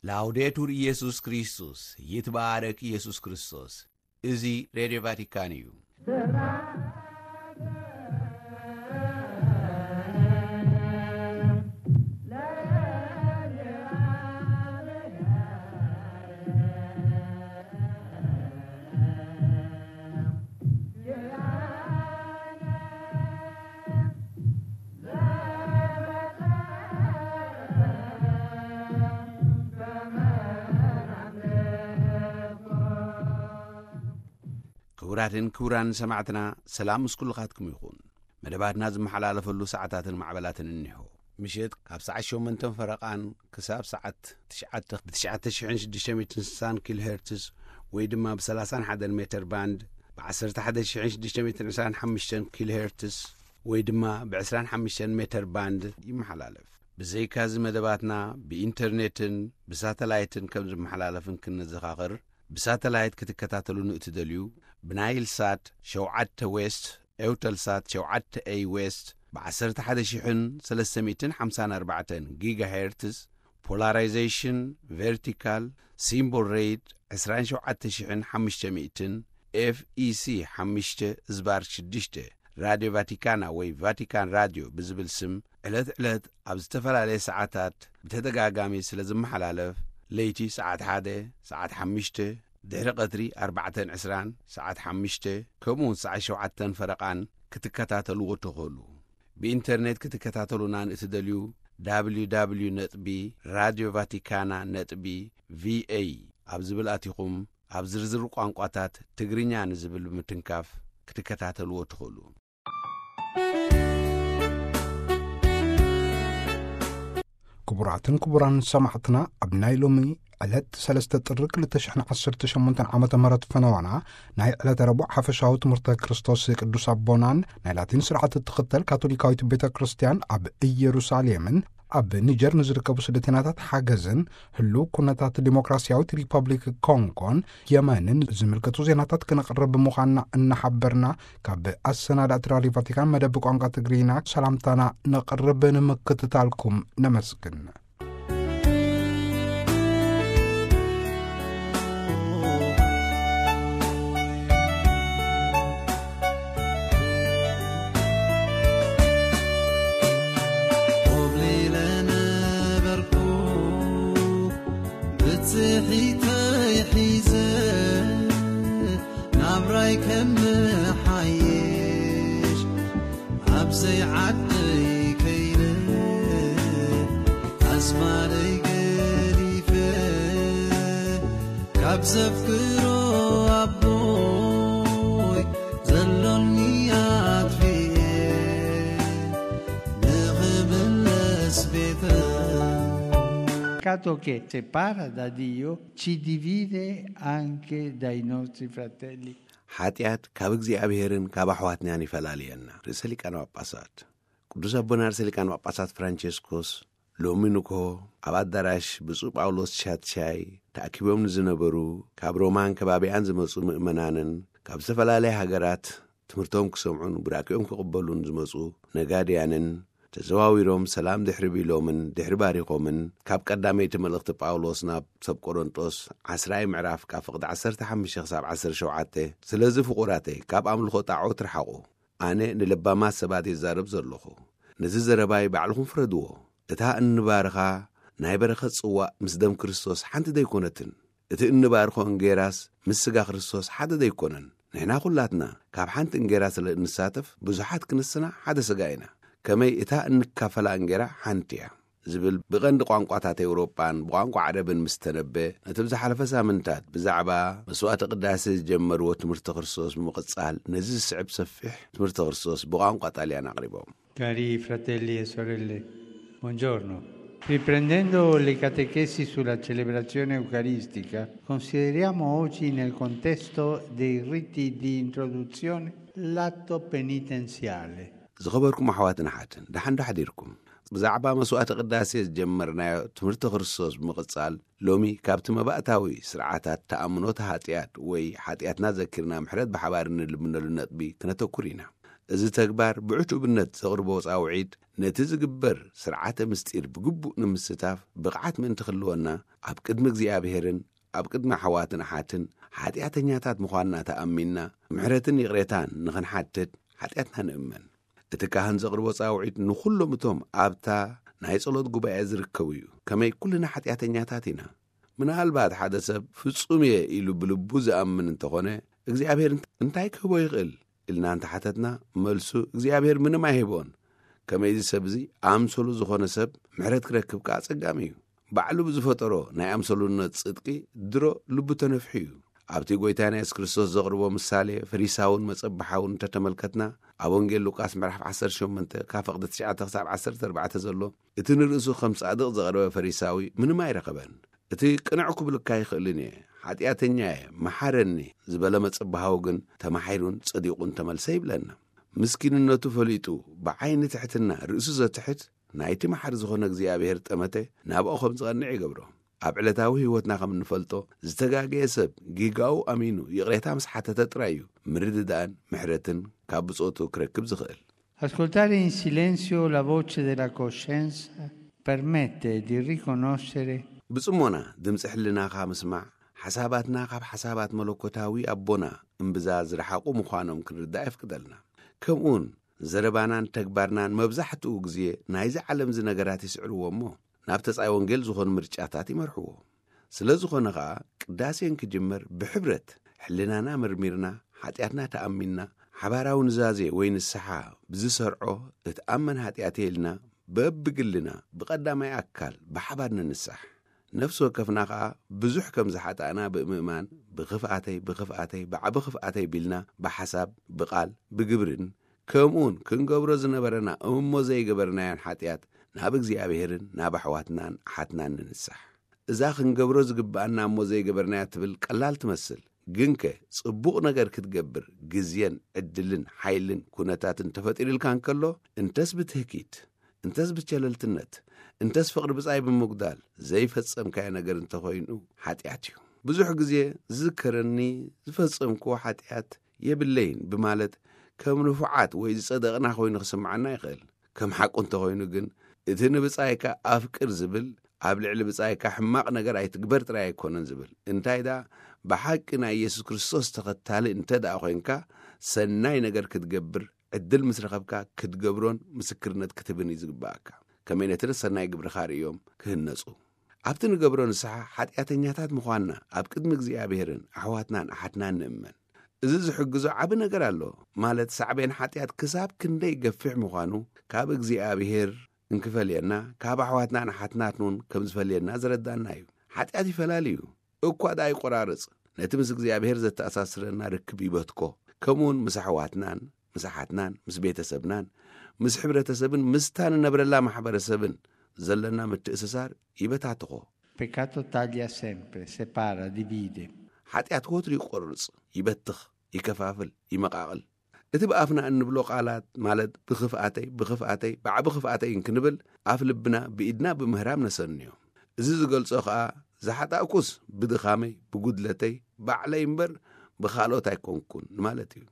ላውዴቱር ኢየሱስ ክርስቶስ፣ ይትባረክ ኢየሱስ ክርስቶስ። እዚ ሬድዮ ቫቲካን እዩ። ክቡራትን ክቡራን ሰማዕትና፣ ሰላም ምስ ኩልኻትኩም ይኹን። መደባትና ዝመሓላለፈሉ ሰዓታትን ማዕበላትን እኒሆ። ምሽት ካብ ሰዓት ሸሞንተን ፈረቓን ክሳብ ሰዓት ትሽዓተ ብ ትሽዓተ ሽሕን ሽዱሽተ ሚእትን ስሳን ኪሎ ሄርትስ ወይ ድማ ብ ሰላሳን ሓደን ሜተር ባንድ፣ ብ ዓሰርተ ሓደ ሽሕን ሽዱሽተ ሚእትን ዕስራን ሓሙሽተን ኪሎ ሄርትስ ወይ ድማ ብ ዕስራን ሓሙሽተን ሜተር ባንድ ይመሓላለፍ። ብዘይካዚ መደባትና ብኢንተርኔትን ብሳተላይትን ከም ዝመሓላለፍን ክንዘኻኽር፣ ብሳተላይት ክትከታተሉ ንእትደልዩ፣ ብናይል ሳት ሸውዓተ ዌስት፣ ኤውተልሳት ሸውዓተ ኤይ ዌስት፣ ብ ዓሰርተ ሓደ ሽሕን ሰለስተ ሚእትን ሓምሳን ኣርባዕተን ጊጋሄርትዝ፣ ፖላራይዜሽን ቨርቲካል፣ ሲምቦል ሬት ዕስራን ሸውዓተ ሽሕን ሓሙሽተ ሚእትን፣ ኤፍ ኢ ሲ ሓሙሽተ ዝባር ሽዱሽተ፣ ራድዮ ቫቲካና ወይ ቫቲካን ራድዮ ብዝብል ስም ዕለት ዕለት ኣብ ዝተፈላለየ ሰዓታት ብተደጋጋሚ ስለ ዝመሓላለፍ፣ ለይቲ ሰዓት ሓደ፣ ሰዓት ሓሙሽተ፣ ድሕሪ ቀትሪ ኣርባዕተን ዕስራን፣ ሰዓት ሓሙሽተ፣ ከምኡ እውን ሰዓት ሸውዓተን ፈረቓን ክትከታተልዎ ትኽእሉ። ብኢንተርኔት ክትከታተሉና ንእትደልዩ፣ www ነጥቢ ራድዮ ቫቲካና ነጥቢ ቪ ኤ ኣብ ዝብል ኣቲኹም፣ ኣብ ዝርዝር ቋንቋታት ትግርኛ ንዝብል ብምትንካፍ ክትከታተልዎ ትኽእሉ። ክቡራትን ክቡራን ሰማዕትና፣ ኣብ ናይ ሎሚ ዕለት ሰለስተ ጥሪ ክልተ ሽሕን ዓሰርተ ሸሞንተን ዓመተ ምህረት ፈነዋና ናይ ዕለተ ረቡዕ ሓፈሻዊ ትምህርተ ክርስቶስ ቅዱስ ኣቦናን ናይ ላቲን ስርዓት እትኽተል ካቶሊካዊት ቤተ ክርስቲያን ኣብ ኢየሩሳሌምን ኣብ ኒጀር ንዝርከቡ ስደተኛታት ሓገዝን ህሉው ኩነታት ዲሞክራሲያዊት ሪፐብሊክ ኮንጎን የመንን ዝምልከቱ ዜናታት ክነቕርብ ምዃንና እናሓበርና፣ ካብ ኣሰናዳእቲ ራድዮ ቫቲካን መደብ ቋንቋ ትግርኛ ሰላምታና ነቕርብ። ንምክትታልኩም ነመስግን። ኮብሊለ ነበርኩ ብጽሒተይ ሒዘ ናብራይ ከም ሓይሽ ኣብ ዘይዓደይ ከይነ ኣስማረይ ገዲፈ ካብ ዘፍቅሮ ኣቦይ ዘሎኒ ኣጥፊኤ ንኽምለስ ቤተ Peccato che separa da Dio ci divide anche dai nostri fratelli. ሓጢኣት ካብ እግዚኣብሔርን ካብ ኣሕዋትናን ይፈላልየና። ርእሰ ሊቃነ ጳጳሳት ቅዱስ ኣቦና ርእሰ ሊቃነ ጳጳሳት ፍራንቸስኮስ ሎሚ ንግሆ ኣብ ኣዳራሽ ብፁዕ ጳውሎስ ሻትሻይ ተኣኪቦም ንዝነበሩ ካብ ሮማን ከባቢኣን ዝመጹ ምእመናንን ካብ ዝተፈላለያ ሃገራት ትምህርቶም ክሰምዑን ቡራኬኦም ክቕበሉን ዝመጹ ነጋድያንን ተዘዋዊሮም ሰላም ድሕሪ ቢሎምን ድሕሪ ባሪኾምን፣ ካብ ቀዳመይቲ መልእኽቲ ጳውሎስ ናብ ሰብ ቆሮንጦስ ዓስራይ ምዕራፍ ካብ ፍቕዲ ዓሰርተ ሓሙሽተ ክሳብ ዓሰርተ ሸውዓተ፣ ስለዚ ፍቑራተይ ካብ ኣምልኾ ጣዖት ርሓቑ። ኣነ ንለባማት ሰባት ይዛረብ ዘለኹ። ነዚ ዘረባይ ባዕልኹም ፍረድዎ። እታ እንባርኻ ናይ በረኸት ጽዋእ ምስ ደም ክርስቶስ ሓንቲ ደይኮነትን? እቲ እንባርኾ እንጌራስ ምስ ስጋ ክርስቶስ ሓደ ደይኮነን? ንሕና ኩላትና ካብ ሓንቲ እንጌራ ስለ እንሳተፍ ብዙሓት ክንስና ሓደ ስጋ ኢና። ከመይ እታ እንካፈላ እንጌራ ሓንቲ እያ ዝብል ብቐንዲ ቋንቋታት ኤውሮጳን ብቋንቋ ዓረብን ምስ ተነበ፣ ነቲ ብዝሓለፈ ሳምንታት ብዛዕባ መስዋዕተ ቅዳሴ ዝጀመርዎ ትምህርቲ ክርስቶስ ብምቕጻል ነዚ ዝስዕብ ሰፊሕ ትምህርቲ ክርስቶስ ብቋንቋ ጣልያን ኣቕሪቦም። Cari fratelli e sorelle, buongiorno. Riprendendo le catechesi sulla celebrazione eucaristica, consideriamo oggi nel contesto dei riti di introduzione l'atto penitenziale. ዝኸበርኩም ኣሕዋትን ኣሓትን፣ ደሓን ዶ ሓዲርኩም? ብዛዕባ መስዋዕተ ቅዳሴ ዝጀመርናዮ ትምህርቲ ክርስቶስ ብምቕጻል፣ ሎሚ ካብቲ መባእታዊ ስርዓታት ተኣምኖት ሓጢኣት ወይ ሓጢኣትና ዘኪርና ምሕረት ብሓባር እንልምነሉ ነጥቢ ክነተኩር ኢና። እዚ ተግባር ብዕቱብነት ዘቕርቦ ጻውዒት፣ ነቲ ዝግበር ስርዓተ ምስጢር ብግቡእ ንምስታፍ ብቕዓት ምእንቲ ክህልወና፣ ኣብ ቅድሚ እግዚኣብሔርን ኣብ ቅድሚ ኣሕዋትን ኣሓትን ሓጢኣተኛታት ምዃንና ተኣሚንና፣ ምሕረትን ይቕሬታን ንኽንሓትት ሓጢኣትና ንእመን። እቲ ካህን ዘቕርቦ ጻውዒት ንኹሎም እቶም ኣብታ ናይ ጸሎት ጉባኤ ዝርከቡ እዩ። ከመይ ኩልና ሓጢኣተኛታት ኢና። ምናልባት ሓደ ሰብ ፍጹም እየ ኢሉ ብልቡ ዝኣምን እንተኾነ፣ እግዚኣብሔር እንታይ ክህቦ ይኽእል ኢልና እንተሓተትና፣ መልሱ እግዚኣብሔር ምንም ኣይህቦን። ከመይ እዚ ሰብ እዚ ኣምሰሉ ዝኾነ ሰብ ምሕረት ክረክብ ከኣ ጸጋሚ እዩ። ባዕሉ ብዝፈጠሮ ናይ ኣምሰሉነት ጽድቂ ድሮ ልቡ ተነፍሑ እዩ። ኣብቲ ጎይታና የሱስ ክርስቶስ ዘቕርቦ ምሳሌ ፈሪሳውን መጸብሓውን እንተተመልከትና፣ ኣብ ወንጌል ሉቃስ ምዕራፍ ዓሰርተ ሸሞንተ ካብ ፈቕዲ ትሽዓተ ክሳብ ዓሰርተ ኣርባዕተ ዘሎ፣ እቲ ንርእሱ ከም ጻድቕ ዘቕረበ ፈሪሳዊ ምንም ኣይረኸበን። እቲ ቅንዕ ክብልካ ኣይኽእልን እየ፣ ሓጢኣተኛ እየ፣ መሓረኒ ዝበለ መጸብሃዊ ግን ተማሒሩን ጸዲቑን ተመልሰ ይብለና። ምስኪንነቱ ፈሊጡ ብዓይኒ ትሕትና ርእሱ ዘትሕት ናይቲ መሓሪ ዝኾነ እግዚኣብሔር ጠመተ ናብኡ ከም ዝቐንዕ ይገብሮ። ኣብ ዕለታዊ ህይወትና ከም እንፈልጦ፣ ዝተጋገየ ሰብ ጌጋኡ ኣሚኑ ይቕሬታ ምስ ሓተተ ጥራይ እዩ ምርድዳእን ምሕረትን ካብ ብጾቱ ክረክብ ዝኽእል። Ascoltare in silenzio la voce della coscienza permette di riconoscere ብጽሞና ድምፂ ሕልናኻ ምስማዕ፣ ሓሳባትና ካብ ሓሳባት መለኮታዊ ኣቦና እምብዛ ዝረሓቑ ምዃኖም ክንርዳእ የፍቅደልና። ከምኡውን ዘረባናን ተግባርናን መብዛሕትኡ ግዜ ናይዚ ዓለም እዚ ነገራት ይስዕርዎ እሞ፣ ናብ ተጻይ ወንጌል ዝኾኑ ምርጫታት ይመርሕዎ። ስለ ዝኾነ ኸኣ፣ ቅዳሴ እንክጅመር ብሕብረት ሕልናና መርሚርና፣ ሓጢኣትና ተኣሚንና፣ ሓባራዊ ኑዛዜ ወይ ንስሓ ብዝሰርዖ እትኣመን ሓጢኣት ኢልና በብግልና ብቐዳማይ ኣካል ብሓባር ንንሳሕ። ነፍሲ ወከፍና ኸኣ ብዙሕ ከም ዝሓጣእና ብምእማን፣ ብኽፍኣተይ፣ ብኽፍኣተይ፣ ብዓቢ ኽፍኣተይ ቢልና ብሓሳብ፣ ብቓል፣ ብግብርን፣ ከምኡውን ክንገብሮ ዝነበረና እሞ ዘይገበርናዮን ሓጢኣት ናብ እግዚኣብሔርን ናብ ኣሕዋትናን ኣሓትናን ንንሳሕ። እዛ ክንገብሮ ዝግብኣና እሞ ዘይገበርናያ ትብል ቀላል ትመስል። ግንከ ጽቡቕ ነገር ክትገብር ግዜን ዕድልን ሓይልን ኩነታትን ተፈጢሩልካ እንከሎ፣ እንተስ ብትህኪት፣ እንተስ ብቸለልትነት፣ እንተስ ፍቕሪ ብጻይ ብምጉዳል ዘይፈጸምካዮ ነገር እንተኾይኑ ሓጢኣት እዩ። ብዙሕ ግዜ ዝዝከረኒ ዝፈጸምክዎ ሓጢኣት የብለይን ብማለት ከም ንፉዓት ወይ ዝጸደቕና ኮይኑ ክስምዓና ይኽእል። ከም ሓቁ እንተኾይኑ ግን፣ እቲ ንብጻይካ ኣፍቅር ዝብል ኣብ ልዕሊ ብጻይካ ሕማቕ ነገር ኣይትግበር ጥራይ ኣይኮነን ዝብል። እንታይ ደኣ፣ ብሓቂ ናይ የሱስ ክርስቶስ ተኸታሊ እንተ ደኣ ኮይንካ፣ ሰናይ ነገር ክትገብር ዕድል ምስ ረኸብካ ክትገብሮን ምስክርነት ክትህብን እዩ ዝግብኣካ። ከመይ ነቲ ሰናይ ግብርኻ ርእዮም ክህነጹ። ኣብቲ ንገብሮ ንስሓ ሓጢኣተኛታት ምዃንና ኣብ ቅድሚ እግዚኣብሔርን ኣሕዋትናን ኣሓትናን ንእመን። እዚ ዝሕግዞ ዓቢ ነገር ኣሎ፣ ማለት ሳዕቤን ሓጢኣት ክሳብ ክንደይ ገፊሕ ምዃኑ ካብ እግዚኣብሔር እንክፈልየና፣ ካብ ኣሕዋትናን ኣሓትናትን እውን ከም ዝፈልየና ዝረዳና እዩ። ሓጢኣት ይፈላሊ እዩ፣ እኳ ደኣ ይቆራርጽ። ነቲ ምስ እግዚኣብሔር ዘተኣሳስረና ርክብ ይበትኮ። ከምኡውን ምስ ኣሕዋትናን ምስ ኣሓትናን ምስ ቤተሰብናን ምስ ሕብረተሰብን ምስታ ንነብረላ ማሕበረሰብን ዘለና ምትእስሳር ይበታትኾ። Peccato taglia sempre, separa, divide. ሓጢኣት ወትሩ ይቆርጽ፣ ይበትኽ፣ ይከፋፍል፣ ይመቓቕል። እቲ ብኣፍና እንብሎ ቃላት፣ ማለት ብኽፍኣተይ፣ ብኽፍኣተይ፣ ብዓቢ ኽፍኣተይ እንክንብል፣ ኣፍ ልብና ብኢድና ብምህራም ነሰንዮ። እዚ ዝገልጾ ኸኣ፣ ዝሓጣእኩስ ብድኻመይ፣ ብጉድለተይ፣ ባዕለይ እምበር ብኻልኦት ኣይኮንኩን ማለት እዩ።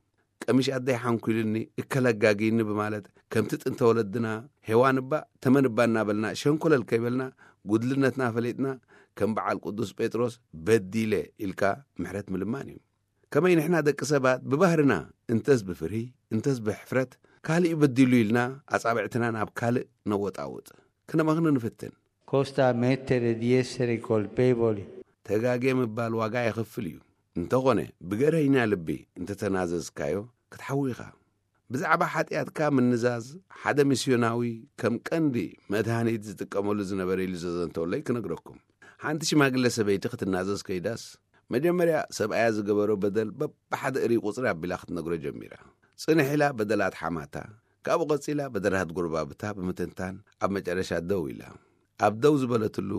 ቀሚሽ ኣደይ ሓንኲሉኒ፣ እከለጋጊኒ ብማለት፣ ከምቲ ጥንተ ወለድና ሄዋን እባ ተመን እባ እናበልና ሸንኮለል ከይበልና፣ ጉድልነትና ፈሊጥና፣ ከም በዓል ቅዱስ ጴጥሮስ በዲለ ኢልካ ምሕረት ምልማን እዩ። ከመይ ንሕና ደቂ ሰባት ብባህርና እንተስ ብፍርሂ እንተስ ብሕፍረት፣ ካልእ በዲሉ ኢልና ኣጻብዕትና ናብ ካልእ ነወጣውጥ። ክነመኽኒ ንፍትን። Costa ammettere di essere colpevoli. ተጋጌ ምባል ዋጋ የኽፍል እዩ። እንተኾነ፣ ብገርሀኛ ልቢ እንተተናዘዝካዮ ክትሓዊ ኢኻ። ብዛዕባ ሓጢኣትካ ምንዛዝ ሓደ ሚስዮናዊ ከም ቀንዲ መድሃኒት ዝጥቀመሉ ዝነበረ ኢሉ ዘዘንተወለይ ክነግረኩም። ሓንቲ ሽማግለ ሰበይቲ ክትናዘዝ ከይዳስ፣ መጀመርያ ሰብኣያ ዝገበሮ በደል በብሓደ እሪ ቁጽሪ ኣቢላ ክትነግሮ ጀሚራ። ጽንሕ ኢላ በደላት ሓማታ፣ ካብኡ ቀጺላ በደላት ጎረባብታ ብምትንታን ኣብ መጨረሻ ደው ኢላ። ኣብ ደው ዝበለትሉ፣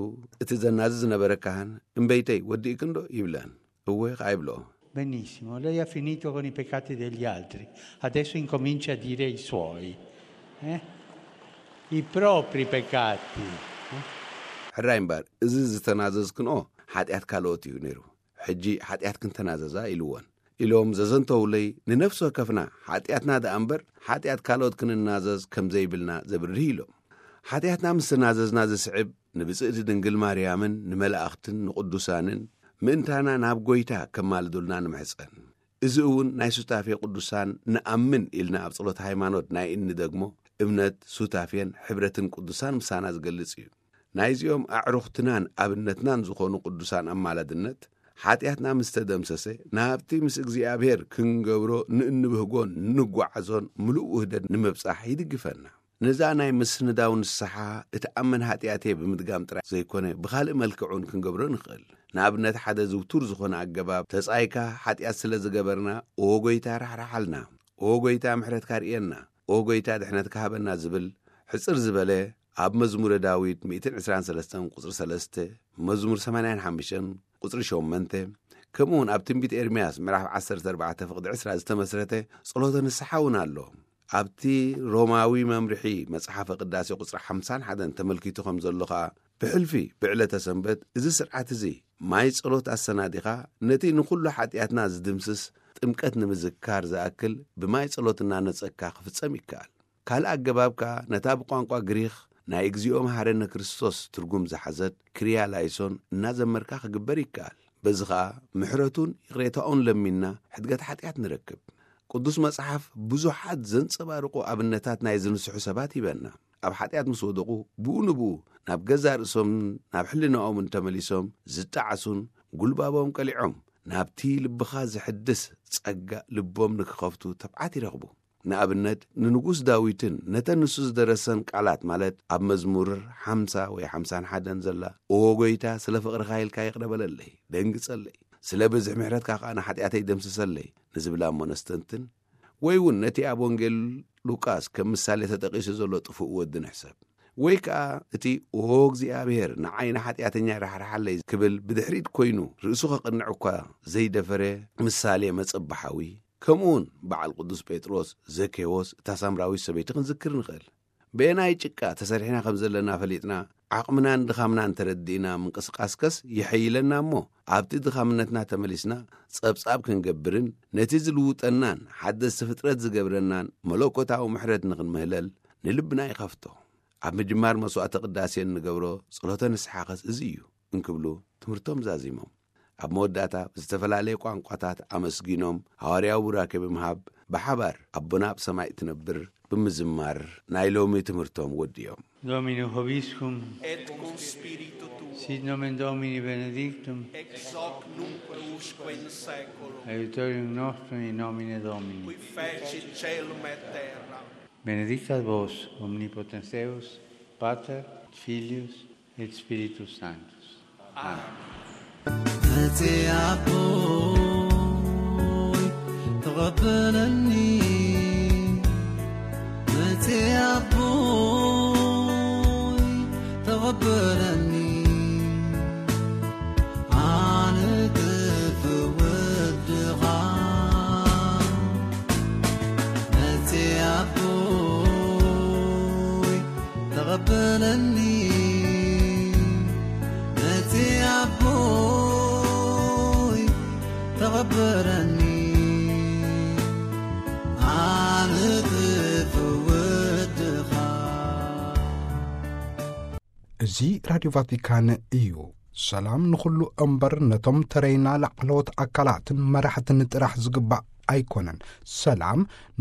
እቲ ዘናዚ ዝነበረ ካህን፣ "እምበይተይ፣ ወዲእክንዶ?" ይብለን። "እወ" ኸዓ ይብሎ። Benissimo, lei ha finito con i peccati degli altri, adesso incomincia a dire i suoi, eh? I propri peccati. ሕራይ እምበር፣ እዚ ዝተናዘዝክንኦ ሓጢኣት ካልኦት እዩ ነይሩ። ሕጂ ሓጢኣት ክንተናዘዛ ኢልወን። ኢሎም ዘዘንተውለይ፣ ንነፍሲ ወከፍና ሓጢኣትና ደኣ እምበር፣ ሓጢኣት ካልኦት ክንናዘዝ ከም ዘይብልና ዘብርህ ኢሎም። ሓጢኣትና ምስ ተናዘዝና ዝስዕብ፣ ንብጽእቲ ድንግል ማርያምን ንመላእኽትን ንቕዱሳንን ምእንታና ናብ ጐይታ ከማልዱልና ንምሕጸን። እዚ እውን ናይ ሱታፌ ቅዱሳን ንኣምን ኢልና ኣብ ጸሎት ሃይማኖት ናይ እንደግሞ እምነት፣ ሱታፌን ሕብረትን ቅዱሳን ምሳና ዝገልጽ እዩ። ናይዚኦም ኣዕሩኽትናን ኣብነትናን ዝኾኑ ቅዱሳን ኣማላድነት፣ ሓጢኣትና ምስ ተደምሰሰ፣ ናብቲ ምስ እግዚኣብሔር ክንገብሮ ንእንብህጎን ንጓዓዞን ምሉእ ውህደት ንምብጻሕ ይድግፈና። ነዛ ናይ ምስንዳው ንስሓ፣ እቲ ኣመን ሓጢኣተይ ብምድጋም ጥራይ ዘይኮነ፣ ብኻልእ መልክዕ እውን ክንገብሮ ንኽእል። ንኣብነት፣ ሓደ ዝውቱር ዝኾነ ኣገባብ፣ ተጻይካ ሓጢኣት ስለ ዝገበርና፣ "ኦ ጐይታ፣ ራሕርሓልና። ኦ ጐይታ፣ ምሕረትካ ርእየና። ኦ ጐይታ፣ ድሕነትካ ሃበና" ዝብል፣ ሕጽር ዝበለ፣ ኣብ መዝሙረ ዳዊት ሚእትን ዕስራን ሰለስተን ቁጽሪ ሰለስተ፣ መዝሙር ሰማንያን ሓሙሽተን ቁጽሪ ሸሞንተ፣ ከምኡውን ኣብ ትንቢት ኤርምያስ ምዕራፍ ዓሰርተ ኣርባዕተ ፍቕዲ ዕስራ ዝተመስረተ ጸሎተ ንስሓ እውን ኣሎ። ኣብቲ ሮማዊ መምርሒ መጽሓፈ ቅዳሴ ቁጽሪ ሓምሳን ሓደን ተመልኪቱ ከም ዘሎ ኸኣ፣ ብሕልፊ ብዕለተ ሰንበት እዚ ስርዓት እዚ ማይ ጸሎት ኣሰናዲኻ፣ ነቲ ንኹሉ ሓጢኣትና ዝድምስስ ጥምቀት ንምዝካር ዝኣክል ብማይ ጸሎት እናነጸግካ ክፍጸም ይከኣል። ካልእ ኣገባብ ከኣ ነታ ብቋንቋ ግሪኽ ናይ እግዚኣብሔር መሓረነ ክርስቶስ ትርጉም ዝሓዘት ክርያ ላይሶን እናዘመርካ ክግበር ይከኣል። በዚ ኸኣ ምሕረቱን ይቕሬታኡን ለሚንና ሕድገት ሓጢኣት ንረክብ። ቅዱስ መጽሓፍ ብዙሓት ዘንጸባርቑ ኣብነታት ናይ ዝንስሑ ሰባት ሂበና። ኣብ ሓጢኣት ምስ ወደቑ፣ ብኡ ንብኡ ናብ ገዛእ ርእሶምን ናብ ሕልናኦምን ተመሊሶም ዝጠዓሱን፣ ጉልባቦም ቀሊዖም ናብቲ ልብኻ ዘሕድስ ጸጋ ልቦም ንክኸፍቱ ትብዓት ይረኽቡ። ንኣብነት፣ ንንጉስ ዳዊትን ነተን ንሱ ዝደረሰን ቃላት፣ ማለት ኣብ መዝሙር ሓምሳ ወይ ሓምሳን ሓደን ዘላ፣ "እወ ጐይታ፣ ስለ ፍቕርኻ ኢልካ ይቕረ በለለይ፣ ደንግጸለይ፣ ስለ ብዝሒ ምሕረትካ ኸኣ ንሓጢኣተይ ደምስሰለይ" ንዝብላ እሞ ነስተንትን። ወይ እውን ነቲ ኣብ ወንጌል ሉቃስ ከም ምሳሌ ተጠቒሱ ዘሎ ጥፉእ ወዲ ንሕሰብ። ወይ ከኣ እቲ "ኦ እግዚኣብሔር፣ ንዓይ ንሓጢኣተኛ ራሕርሓለይ" ክብል ብድሕሪት ኮይኑ ርእሱ ከቕንዕ እኳ ዘይደፈረ ምሳሌ መጸብሓዊ፣ ከምኡውን በዓል ቅዱስ ጴጥሮስ፣ ዘኬዎስ፣ እታ ሳምራዊት ሰበይቲ ክንዝክር ንኽእል። በየናይ ጭቃ ተሰሪሕና ከም ዘለና ፈሊጥና፣ ዓቕምናን ድኻምናን ተረዲእና ምንቅስቃስከስ የሐይለና እሞ፣ ኣብቲ ድኻምነትና ተመሊስና ጸብጻብ ክንገብርን፣ ነቲ ዝልውጠናን ሓደስቲ ፍጥረት ዝገብረናን መለኮታዊ ምሕረት ንኽንምህለል ንልብና ይኸፍቶ። ኣብ ምጅማር መስዋዕተ ቅዳሴ እንገብሮ ጸሎተ ንስሓኸስ እዚ እዩ እንክብሉ ትምህርቶም ዛዚሞም። ኣብ መወዳእታ ብዝተፈላለየ ቋንቋታት ኣመስጊኖም፣ ሃዋርያዊ ቡራኬ ብምሃብ፣ ብሓባር ኣቦና ኣብ ሰማይ እትነብር ብምዝማር ናይ ሎሚ ትምህርቶም ወዲኦም። Domino Hobiscum, Et cum spiritu tuo, sit nomen Domini benedictum, Ex hoc nunc et usque in seculum. Aiutorium nostrum in nomine Domini, qui fecit caelum et terram. Benedicat vos omnipotens Deus, Pater, Filius et Spiritus Sanctus. Amen. መጽ ኣቦይ ተቐበለኒ፣ መጽ ኣቦይ ተቐበለኒ፣ ኣነ ክፍወድኻ። መጽ ኣቦይ ተቐበለኒ፣ መጽ ኣቦይ ተቐበለኒ፣ ኣነ ክፍወድኻ። እዚ ራድዮ ቫቲካን እዩ። ሰላም ንኹሉ እምበር፣ ነቶም ተረይና ላዕለዎት ኣካላትን መራሕትን ጥራሕ ዝግባእ ኣይኮነን። ሰላም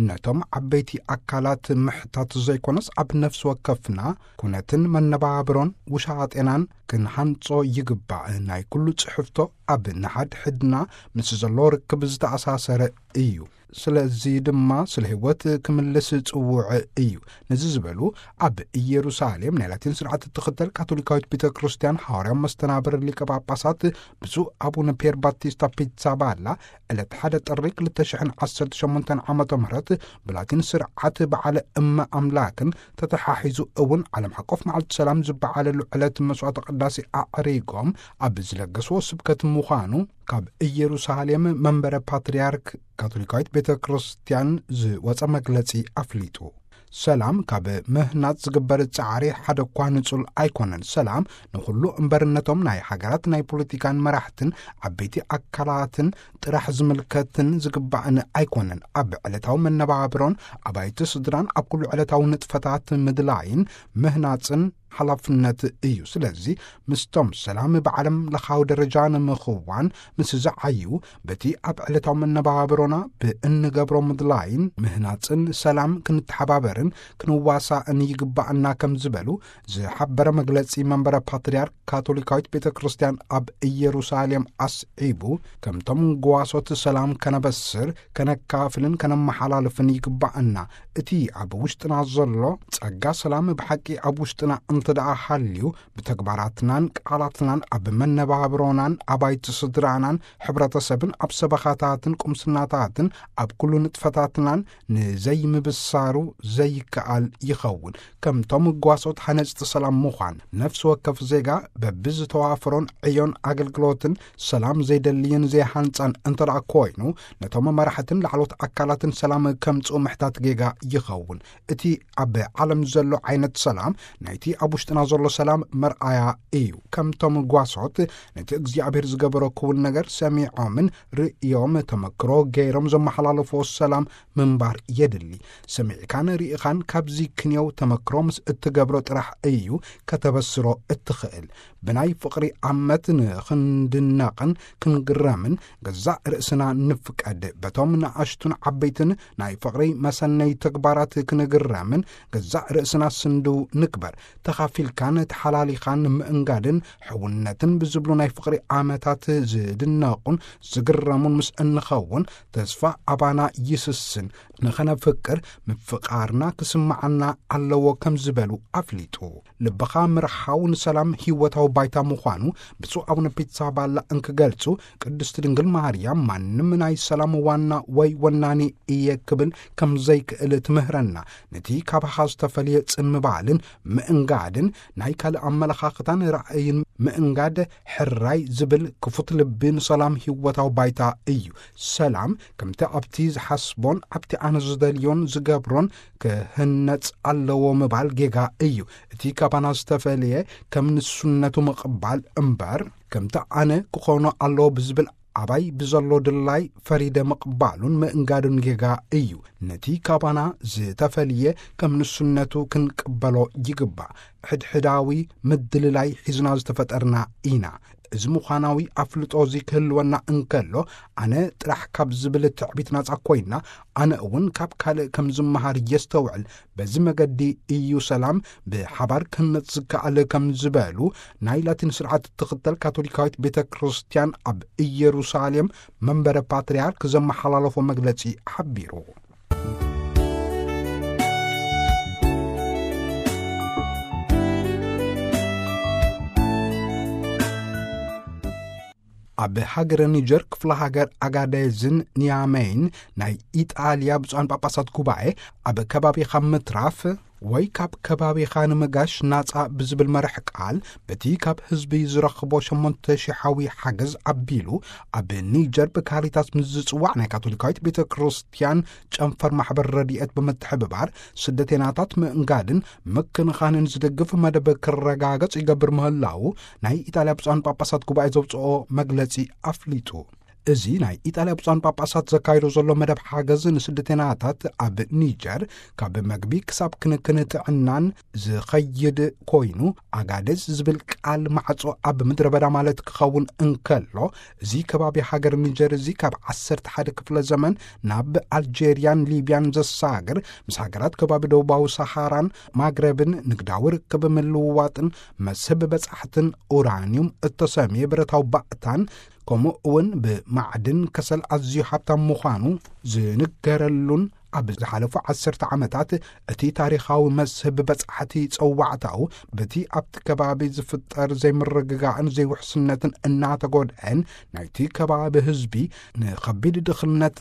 ነቶም ዓበይቲ ኣካላት ምሕታት ዘይኮነስ፣ ኣብ ነፍሲ ወከፍና ኩነትን መነባብሮን ውሻጤናን ክንሃንጾ ይግባእ። ናይ ኩሉ ጽሕፍቶ ኣብ ንሓድሕድና ምስ ዘሎ ርክብ ዝተኣሳሰረ እዩ። ስለዚ ድማ ስለ ህይወት ክምልስ ጽውዕ እዩ። ነዚ ዝበሉ፣ ኣብ ኢየሩሳሌም ናይ ላቲን ስርዓት እትኽተል ካቶሊካዊት ቤተ ክርስቲያን፣ ሓዋርያዊ መስተናብር ሊቀ ጳጳሳት ብፁዕ ኣቡነ ፒየር ባቲስታ ፒትሳባላ ዕለት ሓደ ጥሪ ክልተ ሽሕን ዓሰርተ ሸሞንተን ዓመተ ምህረት ብላቲን ስርዓት በዓለ እመ ኣምላክን ተተሓሒዙ እውን ዓለም ሓቆፍ መዓልቲ ሰላም ዝበዓለሉ ዕለት መስዋዕተ ቅዳሴ ኣዕሪጎም ኣብ ዝለገስዎ ስብከት ምዃኑ ካብ ኢየሩሳሌም መንበረ ፓትርያርክ ካቶሊካዊት ቤተ ክርስቲያን ዝወጸ መግለጺ ኣፍሊጡ። ሰላም ካብ ምህናጽ ዝግበር ጻዕሪ ሓደ እኳ ንጹል ኣይኮነን። ሰላም ንኹሉ እምበርነቶም ናይ ሃገራት ናይ ፖለቲካን መራሕትን ዓበይቲ ኣካላትን ጥራሕ ዝምልከትን ዝግባእን ኣይኮነን። ኣብ ዕለታዊ መነባብሮን ኣባይቲ ስድራን ኣብ ኩሉ ዕለታዊ ንጥፈታት ምድላይን ምህናጽን ሓላፍነት እዩ። ስለዚ ምስቶም ሰላም ብዓለም ለኻዊ ደረጃ ንምኽዋን ምስ ዝዓዩ በቲ ኣብ ዕለታዊ መነባብሮና ብእንገብሮ ምድላይን ምህናጽን ሰላም ክንተሓባበርን ክንዋሳእን ይግባእና ከም ዝበሉ ዝሓበረ መግለጺ መንበረ ፓትርያርክ ካቶሊካዊት ቤተ ክርስቲያን ኣብ ኢየሩሳሌም ኣስዒቡ፣ ከምቶም ጓሶት ሰላም ከነበስር፣ ከነካፍልን ከነመሓላልፍን ይግባእና። እቲ ኣብ ውሽጥና ዘሎ ጸጋ ሰላም ብሓቂ ኣብ ውሽጥና እንተ ደኣ ሃልዩ፣ ብተግባራትናን ቃላትናን ኣብ መነባብሮናን ኣባይቲ ስድራናን ሕብረተሰብን ኣብ ሰበኻታትን ቁምስናታትን ኣብ ኩሉ ንጥፈታትናን ንዘይምብሳሩ ዘይከኣል ይኸውን። ከምቶም ጓሶት ሓነጽቲ ሰላም ምዃን፣ ነፍሲ ወከፍ ዜጋ በብዝተዋፈሮን ዕዮን ኣገልግሎትን ሰላም ዘይደልይን ዘይሃንጻን እንተ ደኣ ኮይኑ፣ ነቶም መራሕትን ላዕሎት ኣካላትን ሰላም ከምጽኡ ምሕታት ጌጋ ይኸውን። እቲ ኣብ ዓለም ዘሎ ዓይነት ሰላም ናይቲ ኣብ ውሽጥና ዘሎ ሰላም መርኣያ እዩ። ከምቶም ጓሶት ነቲ እግዚኣብሔር ዝገበሮ ክውን ነገር ሰሚዖምን ርእዮም ተመክሮ ገይሮም ዘመሓላለፎ ሰላም ምንባር የድሊ። ሰሚዕካን ርኢኻን ካብዚ ክንየው ተመክሮ ምስ እትገብሮ ጥራሕ እዩ ከተበስሮ እትኽእል። ብናይ ፍቕሪ ኣመት ንኽንድነቕን ክንግረምን ገዛእ ርእስና ንፍቀድ። በቶም ንኣሽቱን ዓበይትን ናይ ፍቕሪ መሰነይ ተግባራት ክንግረምን ገዛእ ርእስና ስንድው ንግበር። ተኻፊልካን ተሓላሊኻን ምእንጋድን ሕውነትን ብዝብሉ ናይ ፍቕሪ ኣመታት ዝድነቑን ዝግረሙን ምስ እንኸውን፣ ተስፋ ኣባና ይስስን። ንኸነፍቅር ምፍቓርና ክስምዓና ኣለዎ ከም ዝበሉ ኣፍሊጡ። ልብኻ ምርሓው ንሰላም ህይወታዊ ባይታ ምዃኑ ብፁዕ ኣቡነ ፒትሳባላ እንክገልጹ፣ ቅድስቲ ድንግል ማርያም ማንም ናይ ሰላም ዋና ወይ ወናኒ እየ ክብል ከም ዘይክእል ትምህረና። ነቲ ካባኻ ዝተፈልየ ጽን ምባልን ምእንጋድን ናይ ካልእ ኣመለኻኽታን ራእይን ምእንጋድ ሕራይ ዝብል ክፉት ልቢ ንሰላም ህይወታዊ ባይታ እዩ። ሰላም ከምቲ ኣብቲ ዝሓስቦን ኣብቲ ኣነ ዝደልዮን ዝገብሮን ክህነጽ ኣለዎ ምባል ጌጋ እዩ። እቲ ካባና ዝተፈልየ ከም ንሱነቱ ምቕባል እምበር፣ ከምቲ ኣነ ክኾኖ ኣለዎ ብዝብል ኣባይ ብዘሎ ድላይ ፈሪደ ምቕባሉን ምእንጋዱን ጌጋ እዩ። ነቲ ካባና ዝተፈልየ ከም ንሱነቱ ክንቅበሎ ይግባእ። ሕድሕዳዊ ምድልላይ ሒዝና ዝተፈጠርና ኢና። እዚ ምዃናዊ ኣፍልጦ እዚ ክህልወና እንከሎ፣ ኣነ ጥራሕ ካብ ዝብል ትዕቢት ናጻ ኮይና፣ ኣነ እውን ካብ ካልእ ከም ዝመሃር የስተውዕል። በዚ መገዲ እዩ ሰላም ብሓባር ክህነጽ ዝከኣል ከም ዝበሉ ናይ ላቲን ስርዓት እትኽተል ካቶሊካዊት ቤተ ክርስቲያን ኣብ ኢየሩሳሌም መንበረ ፓትርያርክ ዘመሓላለፎ መግለጺ ሓቢሩ። ኣብ ሃገረ ኒጀር ክፍለ ሃገር ኣጋዴዝን ኒያመይን ናይ ኢጣልያ ብፁዓን ጳጳሳት ጉባኤ ኣብ ከባቢኻ ምትራፍ ወይ ካብ ከባቢኻ ንምጋሽ ናጻ ብዝብል መርሕ ቃል በቲ ካብ ህዝቢ ዝረኽቦ ሸሞንተ ሽሓዊ ሓገዝ ኣቢሉ ኣብ ኒጀር ብካሪታስ ምስ ዝጽዋዕ ናይ ካቶሊካዊት ቤተ ክርስቲያን ጨንፈር ማሕበር ረድኤት ብምትሕብባር ስደተናታት ምእንጋድን ምክንኻንን ዝድግፍ መደብ ክረጋገጽ ይገብር ምህላዉ ናይ ኢጣልያ ብፁዓን ጳጳሳት ጉባኤ ዘውጽኦ መግለጺ ኣፍሊጡ። እዚ ናይ ኢጣልያ ብፁዓን ጳጳሳት ዘካይዶ ዘሎ መደብ ሓገዝ ንስደተናታት ኣብ ኒጀር ካብ መግቢ ክሳብ ክንክን ጥዕናን ዝኸይድ ኮይኑ፣ ኣጋደዝ ዝብል ቃል ማዕጾ ኣብ ምድረ በዳ ማለት ክኸውን እንከሎ፣ እዚ ከባቢ ሃገር ኒጀር እዚ ካብ ዓሰርተ ሓደ ክፍለ ዘመን ናብ ኣልጄርያን ሊብያን ዘሳግር፣ ምስ ሃገራት ከባቢ ደቡባዊ ሰሃራን ማግረብን ንግዳዊ ርክብ ምልውዋጥን መስህብ በጻሕትን ኡራንዩም እተሰምየ ብረታዊ ባእታን ከምኡ እውን ብማዕድን ከሰል ኣዝዩ ሃብታም ምዃኑ ዝንገረሉን፣ ኣብ ዝሓለፉ ዓሰርተ ዓመታት እቲ ታሪኻዊ መስህብ በጻሕቲ ጸዋዕታኡ በቲ ኣብቲ ከባቢ ዝፍጠር ዘይምርግጋእን ዘይውሕስነትን እናተጎድአን ናይቲ ከባቢ ህዝቢ ንኸቢድ ድኽነት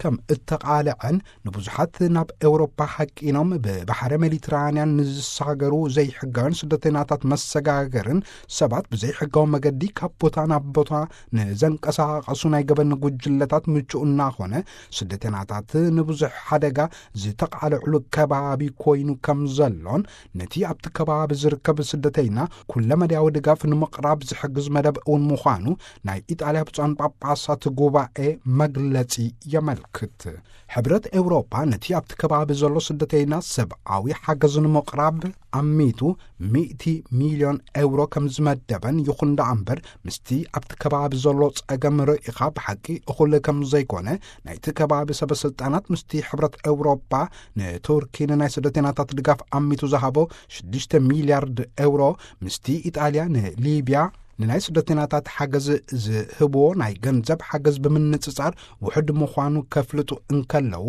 ከም እተቓልዐን፣ ንብዙሓት ናብ ኤውሮፓ ሓቂኖም ብባሕሪ ሜዲትራንያን ንዝሳገሩ ዘይሕጋውያን ስደተኛታት መሰጋገርን ሰባት ብዘይሕጋዊ መገዲ ካብ ቦታ ናብ ቦታ ንዘንቀሳቐሱ ናይ ገበን ጉጅለታት ምቹእ እናኾነ፣ ስደተኛታት ንብዙሕ ሓደጋ ዝተቓልዕሉ ከባቢ ኮይኑ ከም ዘሎን፣ ነቲ ኣብቲ ከባቢ ዝርከብ ስደተይና ኩለመዳያዊ ድጋፍ ንምቕራብ ዝሕግዝ መደብ እውን ምዃኑ ናይ ኢጣልያ ብፁዓን ጳጳሳት ጉባኤ መግለጺ የመልክት። ሕብረት ኤውሮጳ ነቲ ኣብቲ ከባቢ ዘሎ ስደተይና ሰብኣዊ ሓገዝ ንምቕራብ ኣሚቱ ሚእቲ ሚልዮን ኤውሮ ከም ዝመደበን፣ ይኹን ደኣ እምበር ምስቲ ኣብቲ ከባቢ ዘሎ ጸገም ርኢኻ ብሓቂ እኹል ከም ዘይኮነ፣ ናይቲ ከባቢ ሰበ ስልጣናት ምስቲ ሕብረት ኤውሮጳ ንቱርኪ ንናይ ስደተይናታት ድጋፍ ኣሚቱ ዝሃቦ ሽዱሽተ ሚልያርድ ኤውሮ ምስቲ ኢጣልያ ንሊብያ ንናይ ስደተይናታት ሓገዝ ዝህብዎ ናይ ገንዘብ ሓገዝ ብምንጽጻር ውሑድ ምዃኑ ከፍልጡ እንከለዉ፣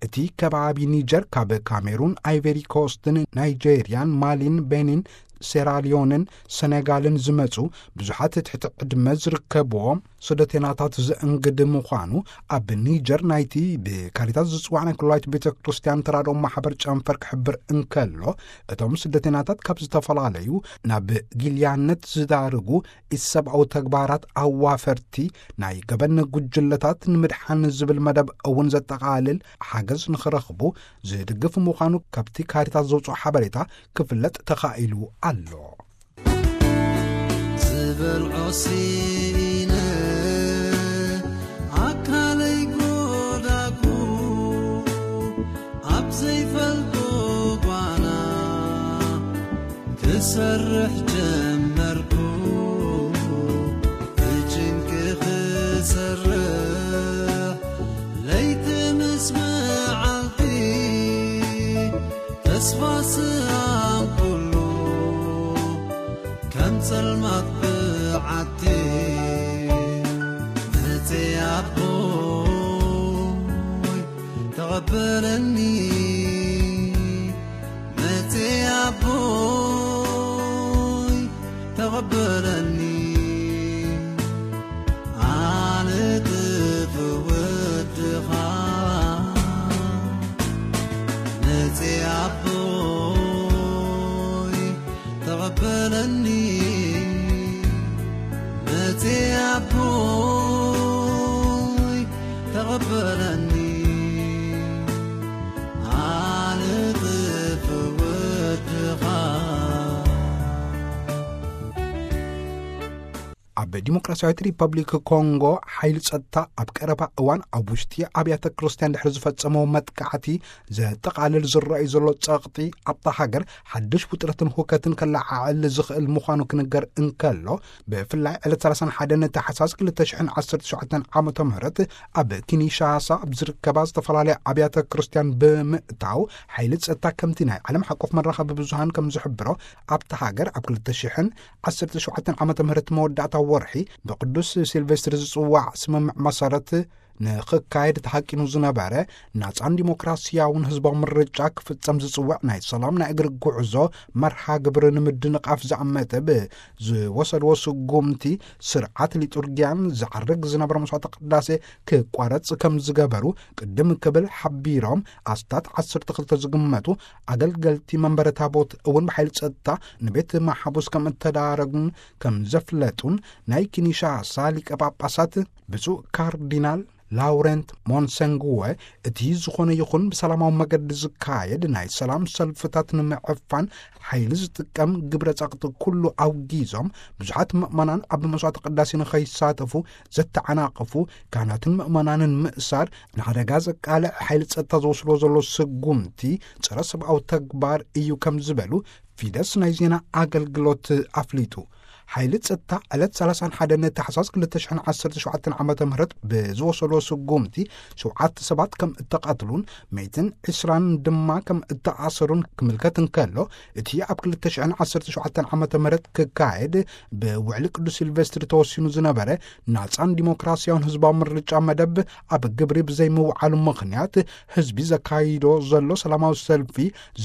እቲ ከባቢ ኒጀር ካብ ካሜሩን፣ ኣይቨሪ ኮስትን፣ ናይጄርያን፣ ማሊን፣ ቤኒን፣ ሴራሊዮንን ሰኔጋልን ዝመጹ ብዙሓት ትሕቲ ዕድመ ዝርከብዎም ስደተይናታት ዘእንግድ ምዃኑ ኣብ ኒጀር ናይቲ ብካሪታስ ዝጽዋዕ ናይ ኩላዊት ቤተ ክርስቲያን ተራድኦ ማሕበር ጨንፈር ክሕብር እንከሎ፣ እቶም ስደተይናታት ካብ ዝተፈላለዩ ናብ ጊልያነት ዝዳርጉ ኢሰብኣዊ ተግባራት ኣዋፈርቲ ናይ ገበን ጉጅለታት ንምድሓን ዝብል መደብ እውን ዘጠቓልል ሓገዝ ንኽረኽቡ ዝድግፍ ምዃኑ ካብቲ ካሪታስ ዘውፅኦ ሓበሬታ ክፍለጥ ተኻኢሉ ኣሎ። ዝበልዖ ስኢነ ኣካለይ ጎዳጉ፣ ኣብ ዘይፈልጦ ጓና ክሰርሕ ጀመርኩ። ብጭንቂ ክሰርሕ ለይቲ ምስ መዓልቲ፣ ተስፋ ስኣንኩሉ ከም ጸልማት ብዓቲ። መጽእ ኣቦይ ተቐበለኒ፣ መጽእ ኣቦይ ተቐበለኒ። ኣነ ጥፉእ ወድኻ፣ መጽእ ኣቦይ ተቐበለኒ፣ መጽእ ኣቦይ ተቐበለኒ። ኣነ ጥፉእ ወድኻ። ኣብ ዲሞክራሲያዊት ሪፐብሊክ ኮንጎ ሓይሊ ጸጥታ ኣብ ቀረባ እዋን ኣብ ውሽጢ ኣብያተ ክርስቲያን ድሕሪ ዝፈጸመዎ መጥቃዕቲ ዘጠቓልል ዝረኣዩ ዘሎ ጸቕጢ ኣብታ ሃገር ሓድሽ ውጥረትን ሁከትን ከለዓዕል ዝኽእል ምዃኑ ክንገር እንከሎ፣ ብፍላይ ዕለት ሰላሳን ሓደን ታሕሳስ ክልተ ሽሕን ዓሰርተ ሸውዓተን ዓመተ ምህረት ኣብ ኪንሻሳ ኣብ ዝርከባ ዝተፈላለያ ኣብያተ ክርስቲያን ብምእታው ሓይሊ ጸጥታ ከምቲ ናይ ዓለም ሓቆፍ መራኸቢ ብዙሃን ከም ዝሕብሮ ኣብታ ሃገር ኣብ ክልተ ሽሕን ዓሰርተ ሸውዓተን ዓመተ ምህረት መወዳእታ ወርሒ ብቅዱስ ሲልቨስትር ዝጽዋዕ ስምምዕ መሰረት ንኽካየድ ተሃቂኑ ዝነበረ ናጻን ዲሞክራሲያውን ህዝባዊ ምርጫ ክፍጸም ዝጽውዕ ናይ ሰላም ናይ እግሪ ጉዕዞ መርሃ ግብሪ ንምድንቓፍ ዝኣመተ ብዝወሰድዎ ስጉምቲ ስርዓት ሊጡርጊያን ዝዓርግ ዝነበረ መስዋዕተ ቅዳሴ ክቋረጽ ከም ዝገበሩ ቅድም ክብል ሓቢሮም፣ ኣስታት ዓሰርተ ክልተ ዝግመቱ ኣገልገልቲ መንበረ ታቦት እውን ብሓይሊ ጸጥታ ንቤት ማሕቡስ ከም እተዳረጉን ከም ዘፍለጡን ናይ ኪንሻሳ ሊቀ ጳጳሳት ብፁዕ ካርዲናል ላውረንት ሞንሰንግወ፣ እቲ ዝኾነ ይኹን ብሰላማዊ መገዲ ዝካየድ ናይ ሰላም ሰልፍታት ንምዕፋን ሓይሊ ዝጥቀም ግብረ ጸቕጢ ኩሉ ኣውጊዞም፣ ብዙሓት ምእመናን ኣብ መስዋዕተ ቅዳሴ ንኸይሳተፉ ዘተዓናቕፉ ካህናትን ምእመናንን ምእሳር ንሓደጋ ዘቃልዕ ሓይሊ ጸጥታ ዝወስዶ ዘሎ ስጉምቲ ጸረ ሰብኣዊ ተግባር እዩ ከም ዝበሉ ፊደስ ናይ ዜና ኣገልግሎት ኣፍሊጡ። ሓይሊ ጸጥታ ዕለት ሰላሳን ሓደን ታሕሳስ ክልተ ሽሕን ዓሰርተ ሸውዓተን ዓመተ ምህረት ብዝወሰዶ ስጉምቲ ሸውዓተ ሰባት ከም እተቐትሉን መይትን ዕስራን ድማ ከም እተኣሰሩን ክምልከት እንከሎ፣ እቲ ኣብ ክልተ ሽሕን ዓሰርተ ሸውዓተን ዓመተ ምህረት ክካየድ ብውዕሊ ቅዱስ ሲልቨስትሪ ተወሲኑ ዝነበረ ናጻን ዲሞክራሲያውን ህዝባዊ ምርጫ መደብ ኣብ ግብሪ ብዘይምውዓሉ ምኽንያት፣ ህዝቢ ዘካይዶ ዘሎ ሰላማዊ ሰልፊ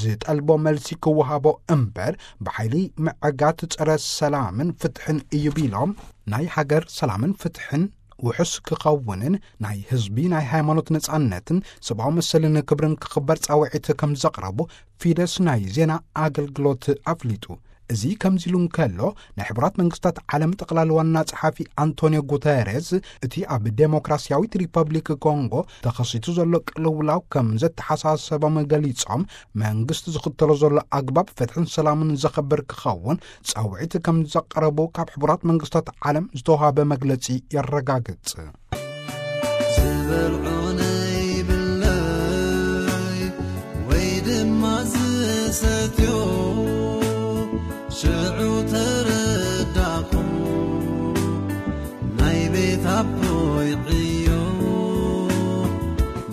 ዝጠልቦ መልሲ ክወሃቦ እምበር፣ ብሓይሊ ምዕጋት ጸረ ሰላምን ፍትሕን እዩ ቢሎም፣ ናይ ሃገር ሰላምን ፍትሕን ውሑስ ክኸውንን ናይ ህዝቢ ናይ ሃይማኖት ነጻነትን ሰብኣዊ መሰልን ክብርን ክኽበር ጻውዒት ከም ዘቕረቡ ፊደስ ናይ ዜና ኣገልግሎት ኣፍሊጡ። እዚ ከምዚ ኢሉ እንከሎ፣ ናይ ሕቡራት መንግስታት ዓለም ጠቕላሊ ዋና ጸሓፊ ኣንቶኒዮ ጉተሬዝ እቲ ኣብ ዴሞክራሲያዊት ሪፐብሊክ ኮንጎ ተኸሲቱ ዘሎ ቅልውላው ከም ዘተሓሳሰቦም ገሊጾም፣ መንግስቲ ዝኽተሎ ዘሎ ኣግባብ ፍትሕን ሰላምን ዘኸብር ክኸውን ጻውዒት ከም ዘቕረቡ ካብ ሕቡራት መንግስታት ዓለም ዝተዋሃበ መግለጺ የረጋግጽ። ዝበልዖ ነይብለይ ወይ ድማ ዝሰትዮ፣ ሽዑ ተረዳኹ ናይ ቤት ኣቦይ ዕዮ።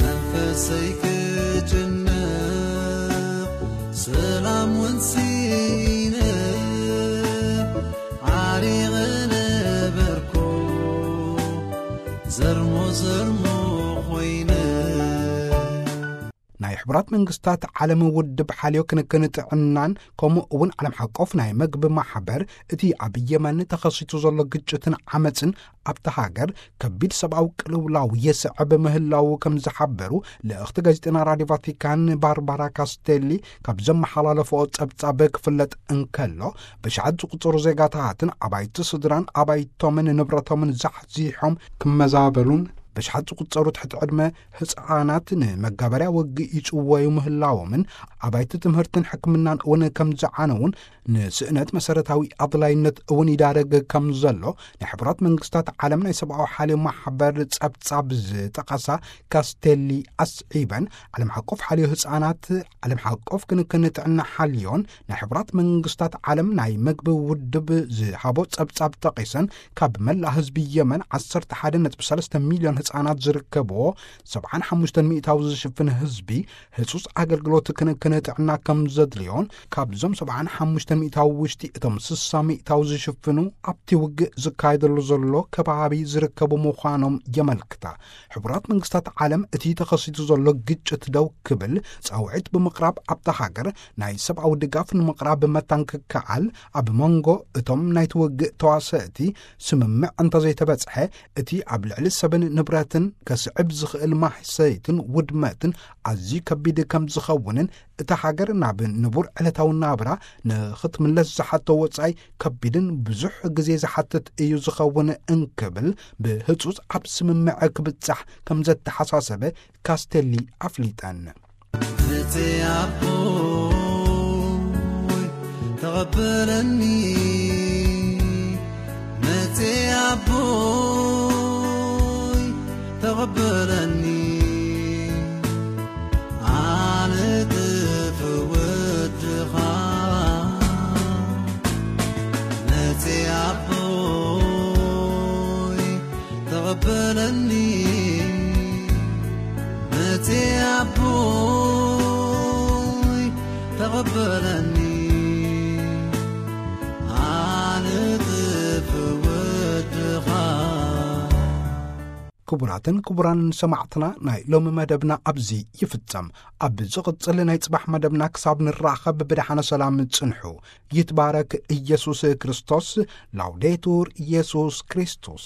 መንፈሰይ ክጭነቕ ሰላም እውን ስኢነ፣ ዓሪቐ ነበርኩ ዘርሞ ዘርሞ ኮይነ። ናይ ሕቡራት መንግስታት ዓለም ውድብ ሓልዮ ክንክን ጥዕናን ከምኡ እውን ዓለም ሓቆፍ ናይ መግቢ ማሕበር እቲ ኣብ የመን ተኸሲቱ ዘሎ ግጭትን ዓመፅን ኣብታ ሃገር ከቢድ ሰብኣዊ ቅልውላው የስዕብ ምህላዉ ከም ዝሓበሩ ልእኽቲ ጋዜጠና ራዲዮ ቫቲካን ባርባራ ካስቴሊ ካብ ዘመሓላለፈኦ ጸብጻብ ክፍለጥ እንከሎ፣ ብሽዓት ዝቁጸሩ ዜጋታትን ኣባይቲ ስድራን ኣባይቶምን ንብረቶምን ዛሕዚሖም ክመዛበሉን ብሽዓት ዝቁጸሩ ትሕቲ ዕድመ ህጻናት ንመጋበርያ ወግእ ይጽወዩ ምህላዎምን ኣባይቲ ትምህርትን ሕክምናን እውን ከም ዝዓነውን ንስእነት መሰረታዊ ኣድላይነት እውን ይዳረግ ከም ዘሎ ናይ ሕቡራት መንግስታት ዓለም ናይ ሰብኣዊ ሓልዮ ማሕበር ጸብጻብ ዝጠቐሳ ካስቴሊ ኣስዒበን፣ ዓለም ሓቆፍ ሓልዮ ህጻናት፣ ዓለም ሓቆፍ ክንክን ጥዕና ሓልዮን ናይ ሕቡራት መንግስታት ዓለም ናይ መግቢ ውድብ ዝሃቦ ጸብጻብ ጠቒሰን፣ ካብ መላእ ህዝቢ የመን ዓሰርተ ሓደ ነጥቢ ሰለስተ ሚልዮን ህጻናት ዝርከብዎ፣ ሰብዓን ሓሙሽተን ሚእታዊ ዝሽፍን ህዝቢ ህጹጽ ኣገልግሎት ክንክን ጥዕና ከም ዘድልዮን፣ ካብዞም ሰብዓን ሓሙሽተን ሚእታዊ ውሽጢ እቶም ስሳ ሚእታዊ ዝሽፍኑ ኣብቲ ውግእ ዝካየደሉ ዘሎ ከባቢ ዝርከቡ ምዃኖም የመልክታ። ሕቡራት መንግስታት ዓለም እቲ ተኸሲቱ ዘሎ ግጭት ደው ክብል ጻውዒት ብምቕራብ፣ ኣብታ ሃገር ናይ ሰብኣዊ ድጋፍ ንምቕራብ መታን ክከኣል፣ ኣብ መንጎ እቶም ናይቲ ውግእ ተዋሰእቲ ስምምዕ እንተዘይተበጽሐ፣ እቲ ኣብ ልዕሊ ሰብን ንብረትን ከስዕብ ዝኽእል ማህሰይትን ውድመትን ኣዝዩ ከቢድ ከም ዝኸውንን፣ እታ ሃገር ናብ ንቡር ዕለታዊ ናብራ ንኽትምለስ ዝሓቶ ወጻኢ ከቢድን ብዙሕ ግዜ ዝሓትት እዩ ዝኸውን እንክብል ብህጹጽ ኣብ ስምምዕ ክብጻሕ ከም ዘተሓሳሰበ ካስቴሊ ኣፍሊጠን። መጽ ኣቦይ ተቐበለኒ፣ መጽ ኣቦይ ተቐበለኒ፣ ኣነ ጥፍ ወድኻ። መጽ ኣቦይ ተቐበለኒ፣ መጽ ኣቦይ ተቐበለኒ፣ ኣነ ጥፍ ወድኻ። ክቡራትን ክቡራንን ሰማዕትና፣ ናይ ሎሚ መደብና ኣብዚ ይፍጸም። ኣብ ዝቕጽል ናይ ጽባሕ መደብና ክሳብ ንራኸብ ብደሓነ ሰላም ጽንሑ። ይትባረክ ኢየሱስ ክርስቶስ። ላውዴቱር ኢየሱስ ክርስቶስ።